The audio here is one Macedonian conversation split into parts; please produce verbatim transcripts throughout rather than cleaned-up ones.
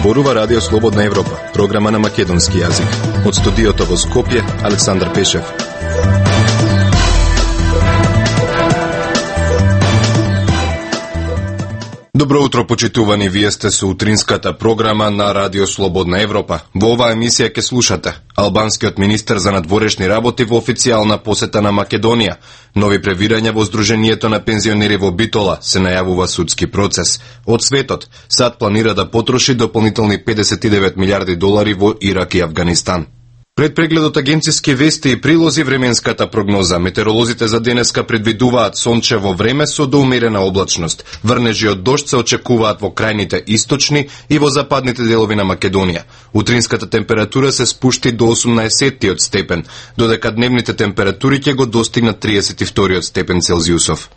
Зборува Радио Слободна Европа, програма на македонски јазик. Од студиото во Скопје, Александар Пешев. Добро утро, почитувани, вие сте со утринската програма на Радио Слободна Европа. Во оваа емисија ќе слушате албанскиот министер за надворешни работи во официјална посета на Македонија, нови превирања во Сдруженијето на пензионери во Битола, се најавува судски процес. Од светот, САД планира да потроши дополнителни педесет и девет милиарди долари во Ирак и Авганистан. Пред прегледот агенциски вести и прилози временската прогноза, метеоролозите за денеска предвидуваат сончево време со доумерена облачност. Врнежи од дожд се очекуваат во крајните источни и во западните делови на Македонија. Утринската температура се спушти до осумнаесеттиот степен, додека дневните температури ќе го достигнат тридесет и вториот степен Целзиусов.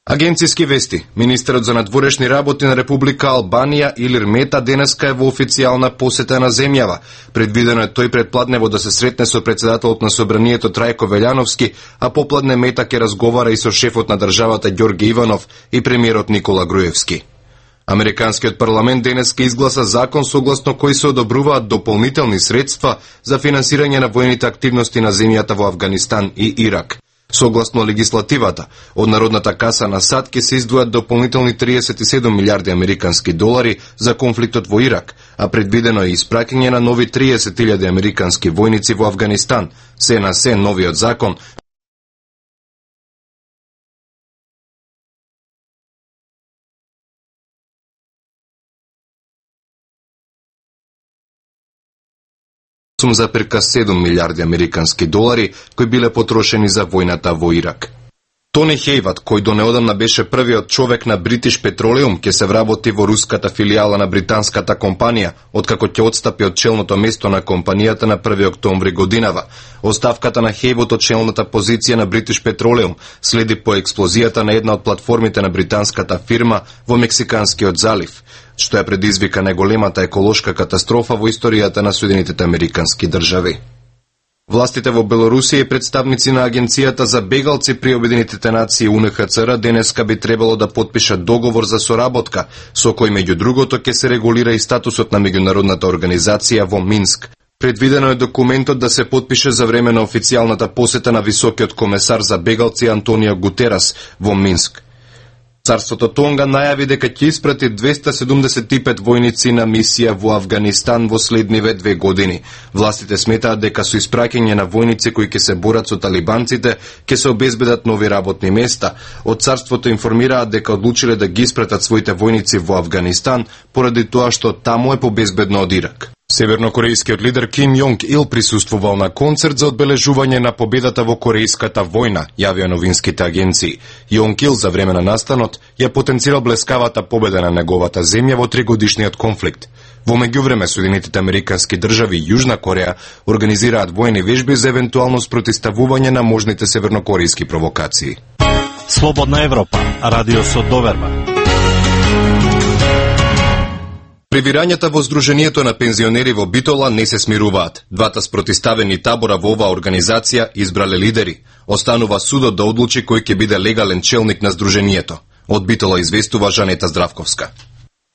Агенциски вести. Министерот за надворешни работи на Република Албанија Илир Мета денеска е во официјална посета на земјава. Предвидено е тој предпладнево да се сретне со председателот на Собранието Трајко Велјановски, а попладне Мета ќе разговара и со шефот на државата Ѓорге Иванов и премиерот Никола Груевски. Американскиот парламент денеска изгласа закон согласно кој се одобруваат дополнителни средства за финансирање на воените активности на земјата во Авганистан и Ирак. Согласно легислативата, од Народната каса на САД ќе се издвојат дополнителни тридесет и седум милиарди американски долари за конфликтот во Ирак, а предвидено е испраќање на нови триесет илјади американски војници во Авганистан. Се на се новиот закон за перка седум милиарди американски долари кои биле потрошени за војната во Ирак. Тони Хејват, кој до неодамна беше првиот човек на British Petroleum, ќе се вработи во руската филијала на британската компанија, откако ќе отстапи од челното место на компанијата на први октомври годинава. Оставката на Хејвот од челната позиција на British Petroleum следи по експлозијата на една од платформите на британската фирма во Мексиканскиот залив, што ја предизвика најголемата еколошка катастрофа во историјата на Соединетите американски држави. Властите во Белорусија и представници на Агенцијата за бегалци при Обединетите нации У Н Х Ц Р денеска би требало да потпишат договор за соработка, со кој меѓу другото ќе се регулира и статусот на меѓународната организација во Минск. Предвидено е документот да се потпише за време на официјалната посета на високиот комесар за бегалци Антонио Гутерас во Минск. Царството Тонга најави дека ќе испрати двеста седумдесет и пет војници на мисија во Авганистан во следниве две години. Властите сметаат дека со испраќање на војници кои ќе се борат со талибанците, ќе се обезбедат нови работни места. Од царството информираат дека одлучиле да ги испратат своите војници во Авганистан поради тоа што таму е побезбедно од Ирак. Севернокорејскиот лидер Ким Јонг Ил присуствувал на концерт за одбележување на победата во Корејската војна, јавија новинските агенции. Јонг Ил за време на настанот ја потенцирал блескавата победа на неговата земја во тригодишниот конфликт. Во меѓувреме Соединетите американски држави и Јужна Кореја организираат војни вежби за евентуално спротивставување на можните севернокорејски провокации. Слободна Европа, радио со доверба. Превирањата во Сдруженијето на пензионери во Битола не се смируваат. Двата спротивставени табора во оваа организација избрале лидери. Останува судот да одлучи кој ќе биде легален челник на Сдруженијето. Од Битола известува Жанета Здравковска.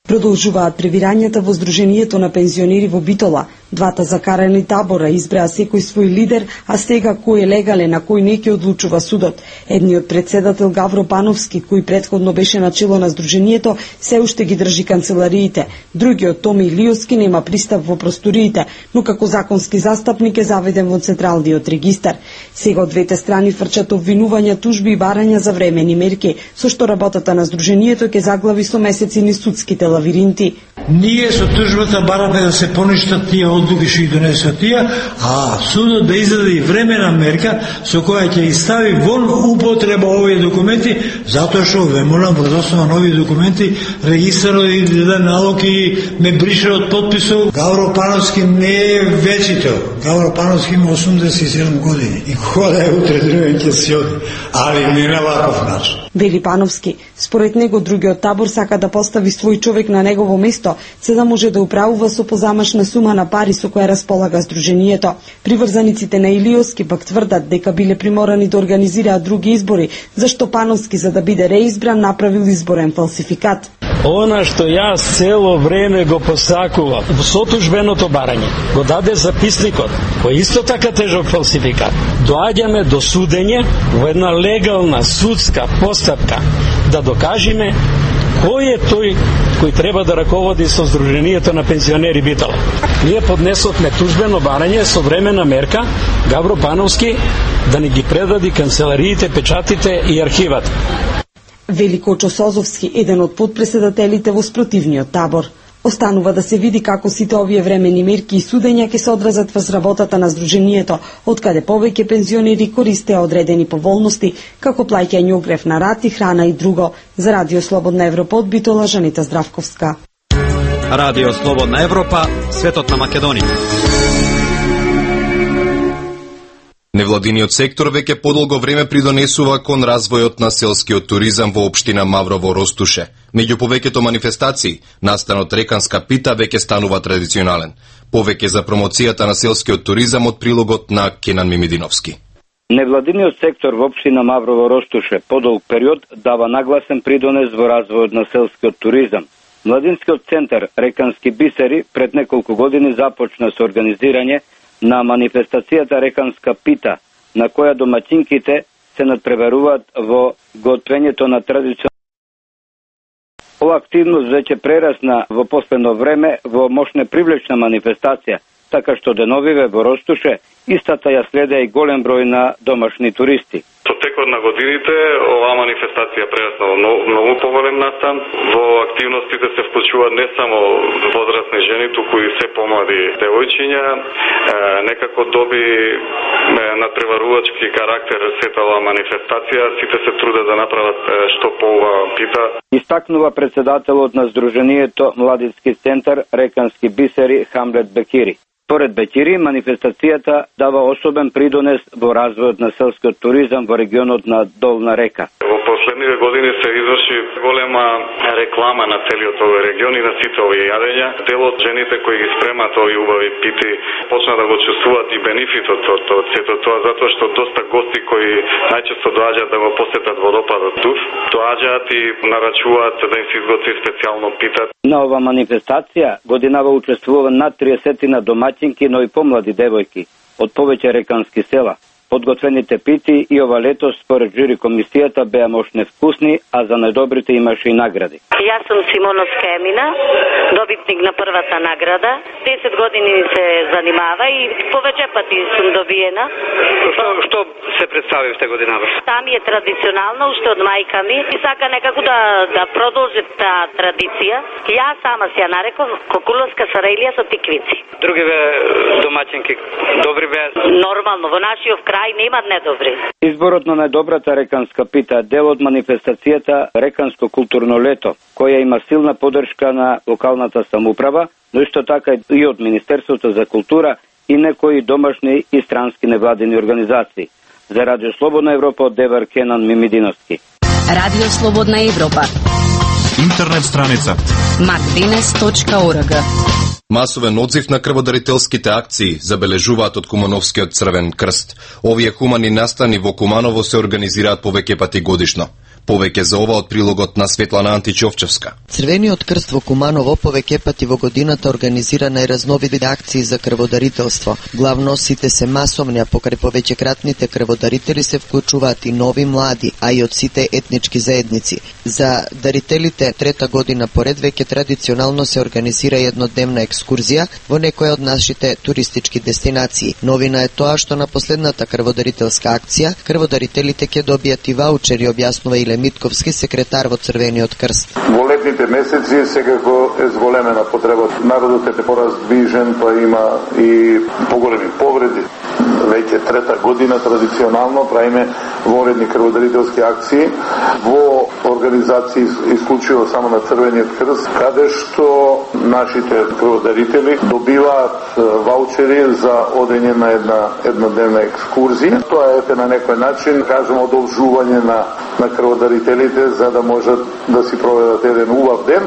Продолжуваат превирањата во Сдруженијето на пензионери во Битола. Двата закарани табора избраа секој свој лидер, а сега кој е легален, а кој не ќе одлучува судот. Едниот председател Гавро Пановски, кој претходно беше начело на Сдруженијето, се уште ги држи канцелариите. Другиот Томи Илиовски нема пристап во просториите, но како законски застапник е заведен во Централниот регистар. Сега од двете страни фрчат обвинувања, тужби и барања за времени мерки, со што работата на Сдруженијето ќе заглави со месеци низ судските лавиринти. Ние со тужбата бараме да се поништат тие одлуки што ги донесат тие, а судот да издаде и времена мерка со која ќе ги стави вон употреба овие документи, затоа што ве молам врз основа на овие документи регистарот и да налог и ме брише од потписот. Гавро Пановски не е вечител. Гавро Пановски има осумдесет и седум години и кога да е утре другиот ќе се оди, али не на ваков начин. Вели Пановски, според него другиот табор сака да постави свој човек на негово место, за да може да управува со позамашна сума на пари пари со која располага Сдруженијето. Приврзаниците на Илиовски пак тврдат дека биле приморани да организираат други избори, зашто Пановски, за да биде реизбран, направил изборен фалсификат. Она што јас цело време го посакував во сотужбеното барање, го даде записникот, кој исто така тежок фалсификат. Доаѓаме до судење во една легална судска постапка да докажеме кој е тој кој треба да раководи со Сдруженијето на пензионери Битола. Ние поднесовме тужбено барање со времена мерка Габро Пановски да ни ги предади канцелариите, печатите и архивата. Велико Чосозовски, еден од подпредседателите во спротивниот табор. Останува да се види како сите овие времени мерки и судења ќе се одразат врз работата на Сдруженијето, откаде повеќе пензионери користеа одредени поволности, како плаќање огрев на рат и храна и друго. За Радио Слободна Европа од Битола, Жанита Здравковска. Радио Слободна Европа, светот на Македонија. Невладиниот сектор веќе подолго време придонесува кон развојот на селскиот туризам во општина Маврово Ростуше. Меѓу повеќето манифестации, настанот Реканска пита веќе станува традиционален. Повеќе за промоцијата на селскиот туризам од прилогот на Кенан Мимидиновски. Невладиниот сектор во општина Маврово Ростуше подолг период дава нагласен придонес во развојот на селскиот туризам. Младинскиот центар Рекански бисери пред неколку години започна со организирање на манифестацијата Реканска пита, на која домаќинките се надпреваруваат во готвењето на традиционални. Ова активност веќе прерасна во последно време во мощна привлечна манифестација, така што деновиве во Ростуше истата ја следеа и голем број на домашни туристи. Со текот на годините оваа манифестација прерасна во многу, многу поголем настан. Во активностите се вклучуваат не само возрастни жени, туку и се помлади девојчиња. Е, некако доби надпреварувачки карактер сета оваа манифестација. Сите се трудат да направат што по оваа пита. Истакнува председателот на Сдруженијето Младински центар Рекански бисери Хамлет Бекири. Според Бекири, манифестацијата дава особен придонес во развојот на селскиот туризам во регионот на Долна река. Во последниве години се изврши голема реклама на целиот овој регион и на сите овие јадења. Дел од жените кои ги спремат овие убави пити почна да го чувствуваат и бенефитот од сето тоа, затоа што доста гости кои најчесто доаѓаат да го посетат водопадот тук, доаѓаат и нарачуваат да им се изготви специјално пита. На ова манифестација годинава учествува над триесет на домаќинки, но и помлади девојки од повеќе рекански села. Подготвените пити и ова летос според жури комисијата беа мощне вкусни, а за најдобрите имаше и награди. Јас сум Симоновска Емина, добитник на првата награда. десет години се занимава и повеќе пати сум добиена. Што, што се представивте годинава? Там е традиционално, уште од мајка ми и сака некако да, да продолжи таа традиција. Јас сама се ја нареков кокуловска сараилија со тиквици. Другиве домаќинки добри беа? Нормално, во нашиот крај немат недобри. Изборот на најдобрата реканска пита е дел од манифестацијата Реканско културно лето, која има силна поддршка на локалната самоуправа, но исто така и од Министерството за култура и некои домашни и странски невладини организации. За Радио Слободна Европа од Девар Кенан Мимидиновски. Радио Слободна Европа. Интернет страница мартинес точка орг. Масовен одзив на крводарителските акции забележуваат од Кумановскиот Црвен крст. Овие хумани настани во Куманово се организираат повеќе пати годишно. Повеќе за ова од прилогот на Светлана Античовчевска. Црвениот крст во Куманово повеќе пати во годината организира најразновидни акции за крводарителство. Главно сите се масовни, а покрај повеќекратните крводарители се вклучуваат и нови млади, а и од сите етнички заедници. За дарителите трета година поред веќе традиционално се организира еднодневна екскурзија во некоја од нашите туристички дестинации. Новина е тоа што на последната крводарителска акција крводарителите ќе добијат и ваучери, објаснува и Митковски, секретар во Црвениот крст. Во летните месеци секако е зголемена потреба. Народот е пораздвижен, па има и поголеми повреди. Веќе трета година традиционално правиме вонредни крводарителски акции во организации исклучиво само на Црвениот крст, каде што нашите крводарители добиваат ваучери за одење на една еднодневна екскурзија. Тоа е на некој начин, кажемо, одолжување на на крводарителите за да можат да си проведат еден убав ден.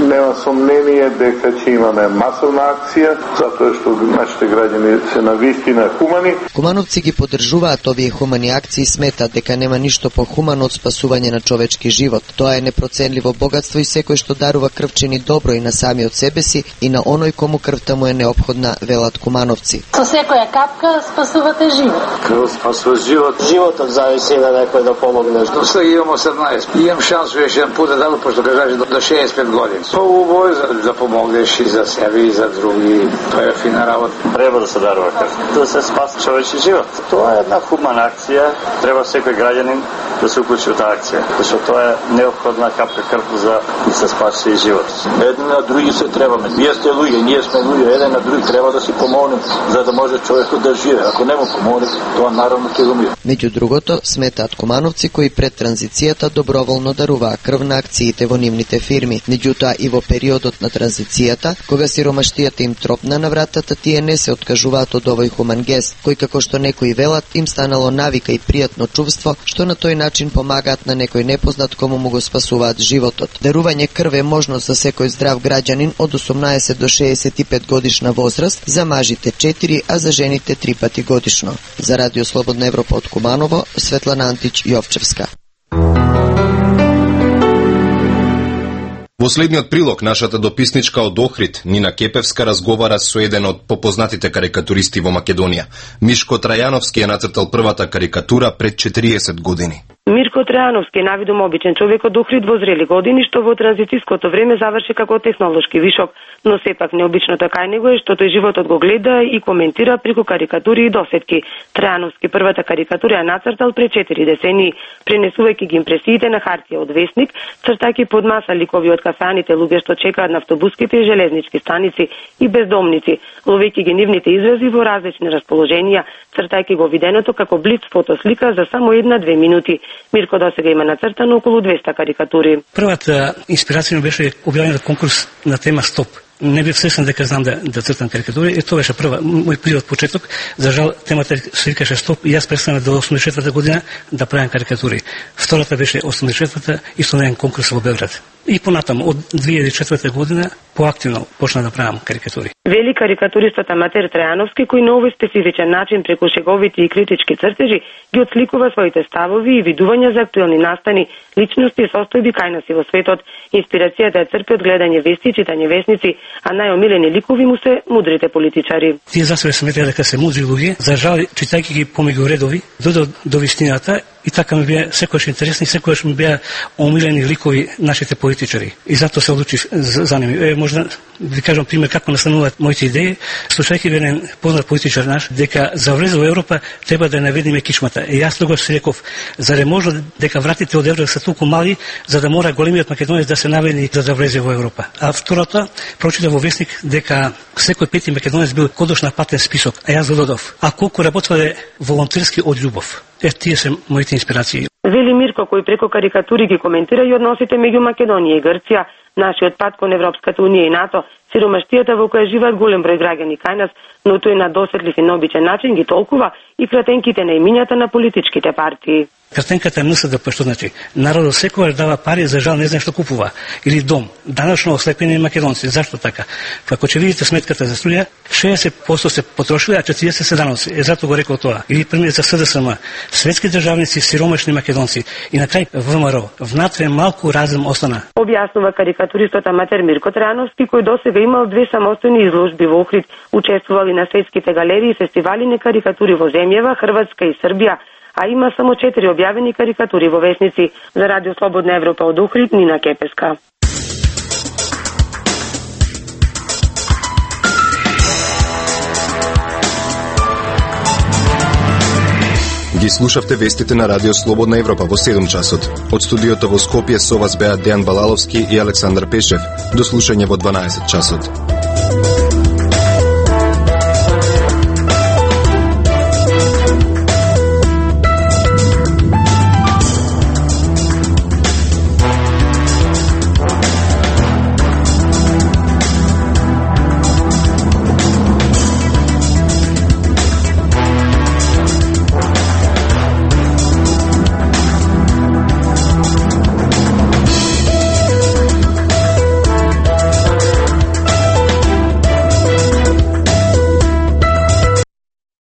Нема сомнение дека ќе имаме масовна акција, затоа што нашите граѓани се навистина хумани. Кумановци ги поддржуваат овие хумани акции и сметат дека нема ништо похумано од спасување на човечки живот. Тоа е непроценливо богатство и секој што дарува крв чини добро и на самиот себе си и на оној кому крвта му е неопходна, велат кумановци. Со секоја капка спасувате живот. Крв спасува живот. Животот зависи на некој да помогне. Што имам осемнаесет. Имам шанс веќе еден пат да дадам, пошто кажа до шеесет и пет години. Тоа убаво е да помогнеш и за себе и за други. Тоа е фина работа. Треба да се дарува крв. Да се спаси човечки живот. Тоа е една хумана акција. Треба секој граѓанин да се уклучи во таа акција, зашто тоа е неопходна капка крв за да се спаси живот. Едни на други се требаме. Вие сте луѓе, ние сме луѓе, еден на други треба да си помогнем за да може човекот да живее. Ако не му помогне, тоа наравно ќе умре. Меѓу другото, сметаат кумановци кои пред транзицијата доброволно даруваа крв на акциите во нивните фирми. Меѓутоа и во периодот на транзицијата, кога сиромаштијата им тропна на вратата, тие не се откажуваат од овој хуман гест, кој како што некои велат им станало навика и пријатно чувство, што на тој начин помагаат на некој непознат кому му го спасуваат животот. Дарување крв е можност за секој здрав граѓанин од осумнаесет до шеесет и пет годишна возраст, за мажите четири, а за жените три пати годишно. За Радио Слободна Европа од Куманово, Светлана Антич Јовчевска. Во следниот прилог, нашата дописничка од Охрид, Нина Кепевска, разговара со еден од попознатите карикатуристи во Македонија. Мишко Трајановски е нацртал првата карикатура пред четириесет години. Мирко Трајановски е навидум обичен човек од Охрид во зрели години, што во транзицијското време заврши како технолошки вишок, но сепак необичното кај него е што тој животот го гледа и коментира преку карикатури и досетки. Трајановски првата карикатура ја нацртал пред четири децении, пренесувајќи ги импресиите на хартија од весник, цртајќи под маса ликови од кафеаните луѓе што чекаат на автобуските и железнички станици и бездомници, ловејќи ги нивните изрази во различни расположенија, цртајќи го виденото како блиц фотослика за само една-две минути. Мирко досега има нацртано околу двесте карикатури. Првата инспирација ми беше објавен конкурс на тема Стоп. Не бев свесен дека знам да, да цртам карикатури, и тоа беше прва, мој први од почеток. За жал, темата се викаше Стоп и јас престанав до осумдесет и четврта година да правам карикатури. Втората беше осумдесет и четврта исто на еден конкурс во Белград. И понатаму, од две илјади и четврта година, поактивно почна да правам карикатури. Вели карикатуристот Аматер Трајановски, кој на овој специфичен начин преку шеговити и критички цртежи ги отсликува своите ставови и видувања за актуелни настани, личности и состојби кај нас и во светот. Инспирацијата е црпи од гледање вести и читање весници, а најомилени ликови му се мудрите политичари. Тие за себе сметаа дека се мудри луѓе, за жал, читајќи ги помеѓу редови, додо до вистината, и така ми беа секојаш интересни, секојаш ми беа омилени ликови нашите политичари. И затоа се одлучив за, за ними. Е, можда ви кажам пример како настануваат моите идеи. Слушајќи еден познат политичар наш дека за влез во Европа треба да наведеме кичмата. И јас тогаш си реков, зарем можно дека вратите од Европа се толку мали за да мора големиот македонец да се наведи за да влезе во Европа. А второто, прочитав во весник дека секој пети македонец бил кодош на патен список, а јас додадов. А колку работеле волонтерски од љубов. Е, тие се моите инспирации. Вели Мирко, кој преку карикатури ги коментира и односите меѓу Македонија и Грција, нашиот пат кон Европската унија и НАТО, сиромаштијата во која живеат голем број граѓани кај нас, но тој на досетлив и необичен начин ги толкува и кратенките на имињата на политичките партии. Кратенката е НС Д П, што значи народот секогаш дава пари, за жал не знае што купува, или дом. Данашно ослепени македонци. Зашто така? Ако ќе видите сметката за струја, шеесет проценти се потрошили, а четириесет се даноци. Е, зато го рекол тоа. Или пример за С Д С М. Светски државници, сиромашни македонци. И на крај В М Р О. Внатре малку разум остана. Објаснува карикатуристот Аматер Мирко Трајановски, кој досега имал две самостојни изложби во Охрид, учествували на светските галерии и фестивали на карикатури во земјава, Хрватска и Србија, а има само четири објавени карикатури во весници. За Радио Слободна Европа од Охрид, Нина Кепеска. Ги слушавте вестите на Радио Слободна Европа во седум часот. Од студиото во Скопје со вас беа Дејан Балаловски и Александар Пешев. До слушање во дванаесет часот.